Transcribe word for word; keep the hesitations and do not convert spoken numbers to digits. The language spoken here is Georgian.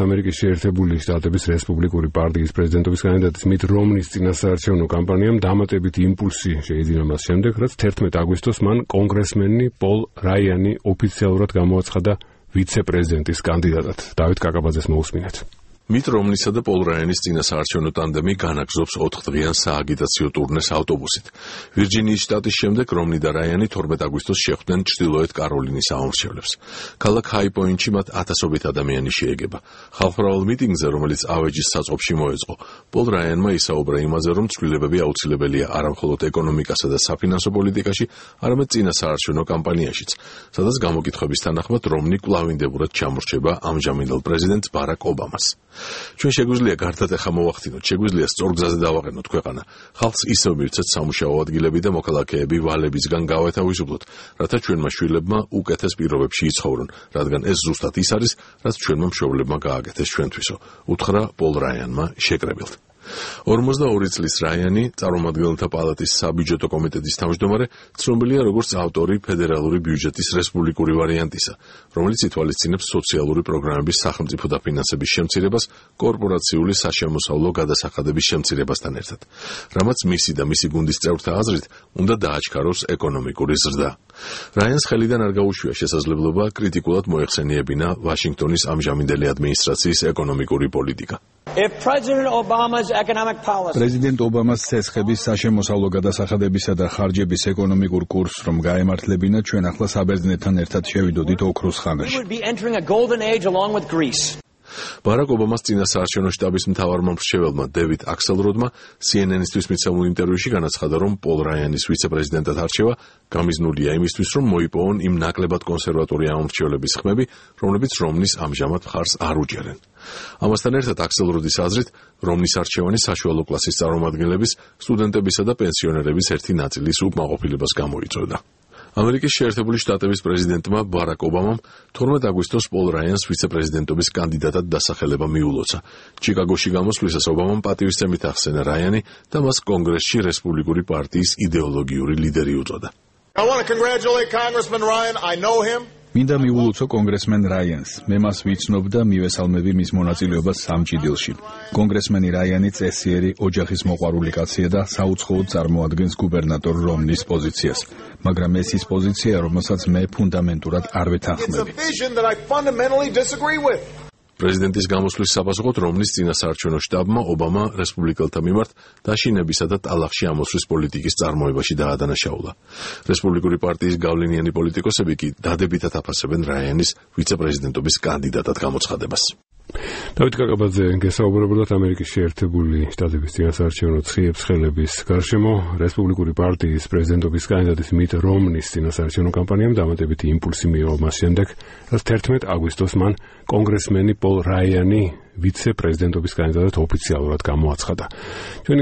ამერიკის შეერთებული შტატების რესპუბლიკური პარტიის პრეზიდენტობის კანდიდატის მით რომნის წინასაარჩევნო კამპანიამ დამატებით იმპულსი შეიძინა მას შემდეგ, რაც თერთმეტ აგვისტოს მან კონგრესმენი პოლ რაიანი ოფიციალურად გამოაცხადა ვიცე-პრეზიდენტის კანდიდატად. დავით კაკაბაძეს მოусმინეთ. მით რომნისა და პოლ რაიანის წინასაარჩევნო ტანდემი განაგზობს ოთხდღიან სააგიტაციო ტურნეს ავტობუსით. ვირჯინიის შტატის შემდეგ რომნი და რაიანი თორმეტ აგვისტოს შეხვდნენ ჩრდილოეთ კაროლინის ამომრჩევლებს. ქალაქ ჰაი-პოინტში მათ ათასობით ადამიანი შეეგება. ხალხმრავალ მიტინგზე, რომელიც ავეჯის საწყობში მოეწყო, პოლ რაიანმა ისაუბრა იმაზე, რომ ცვლილებები აუცილებელია არამხოლოდ ეკონომიკასა და საფინანსო პოლიტიკაში, არამედ წინასაარჩევნო კამპანიაშიც, სადაც გამოკითხვების თანახმად რომნი კვლავინდებურად ჩამორჩება ამჟამინდელ პრეზიდენტ ბარაკ ობამას. ჩვენ შეგვიძლია გარდატეხა მოვახდინოთ, შეგვიძლია სწორ გზაზე დავაყენოთ ქვეყანა. ხალხს ისევ მივცეთ სამუშაო ადგილები და მოქალაქეები ვალებისგან გავეთავისუფლოთ, რათა ჩვენმა შვილებმა უკეთეს პირობებში იცხოვრონ, რადგან ეს ზუსტად ის არის, რაც ჩვენმა მშობლებმა გააკეთეს ჩვენთვისო, უთხრა პოლ რაიანმა შეკრებილთ. ორმოცდაორი წლის რაიანი, წარმომადგენელთა პალატის საბიუჯეტო კომიტეტის თავმჯდომარე, ცნობილია როგორც ავტორი ფედერალური ბიუჯეტის რესპუბლიკური ვარიანტისა, რომელიც ითვალისწინებს სოციალური პროგრამების სახელმწიფო დაფინანსების შემცირებას კორპორაციული საშემოსავლო გადასახადების შემცირებასთან ერთად, რამაც მისი და მისი გუნდის წევრთა აზრით უნდა დააჩქაროს ეკონომიკური ზრდა. რაიანს ხელიდან არ გაუშვია შესაძლებლობა კრიტიკულად მოეხსენიებინა ვაშინგტონის ამჟამინდელი ადმინისტრაციის ეკონომიკური პოლიტიკა. პრეზიდენტ ობამას ცეცხების საშემოსავლო გადასახადებისა და ხარჯების ეკონომიკურ კურსს რომ გაემართლებინა, ჩვენ ახლა საბერძნეთთან ერთად შევიდოდით ოქროს ხანაში. ბარაკ ობამას წინასაარჩევნო შტაბის მთავარმა მრჩეველმა დევიდ აქსელროდმა სი ენ ენ-ისთვის მიცემულ ინტერვიუში განაცხადა, რომ პოლ რაიანის ვიცე-პრეზიდენტად არჩევა გამიზნულია იმისთვის, რომ მოიპოვონ იმ ნაკლებად კონსერვატორი ამომრჩევლების ხმები, რომლებიც რომნის ამჟამად მხარს არ უჭერენ. ამასთან ერთად აქსელროდის აზრით, რომნის არჩევანი საშუალო კლასის წარმომადგენლების, სტუდენტებისა და პენსიონერების ერთი ნაწილის უკმაყოფილებას გამოიწვევდა. ამერიკის შეერთებული შტატების პრეზიდენტმა ბარაკ ობამამ თორმეტ აგვისტოს პოლ რაიანს ვიცე-პრეზიდენტობის კანდიდატად დასახელება მიულოცა. ჩიკაგოში გამოსვლისას ობამამ პატივისცემით ახსენა რაიანი და მას კონგრესში რესპუბლიკური პარტიის იდეოლოგიური ლიდერი უწოდა. მინდა მიულოცო კონგრესმენ რაიანს. მე მას ვიცნობ და მივესალმები მის მონაწილეობას სამჭიდელში. კონგრესმენი რაიანი წესიერი, ოჯახის მოყვარული კაცია და საუცხოოდ წარმოადგენს გუბერნატორ რომნის პოზიციას. მაგრამ ეს ის პოზიცია, რომელსაც მე ფუნდამენტურად არ ვეთანხმები. პრეზიდენტის გამოსვლის საპასუხოდ რომნის წინასაარჩევნო შტაბმა ობამა რესპუბლიკელთა მიმართ დაშინებისა და ტალახში ამოსვლის პოლიტიკის წარმოებაში დაადანაშაულა. რესპუბლიკური პარტიის გავლენიანი პოლიტიკოსები კი დადებითად აფასებენ რაიანის ვიცე-პრეზიდენტობის კანდიდატად გამოცხადებას. დავით კაკაბაძე გესაუბრებოდათ ამერიკის შეერთებული შტატების წინასაარჩევნო ცხიებს-ხელების გარშემო. რესპუბლიკური პარტიის პრეზიდენტობის კანდიდატის მით რომნის წინასაარჩევნო კამპანიამ დამატებითი იმპულსი მიიღო მას შემდეგ, რაც თერთმეტ აგვისტოს მან კონგრესმენი პოლ რაიანი ვიცე-პრეზიდენტობის კანდიდატად ოფიციალურად გამოაცხადა.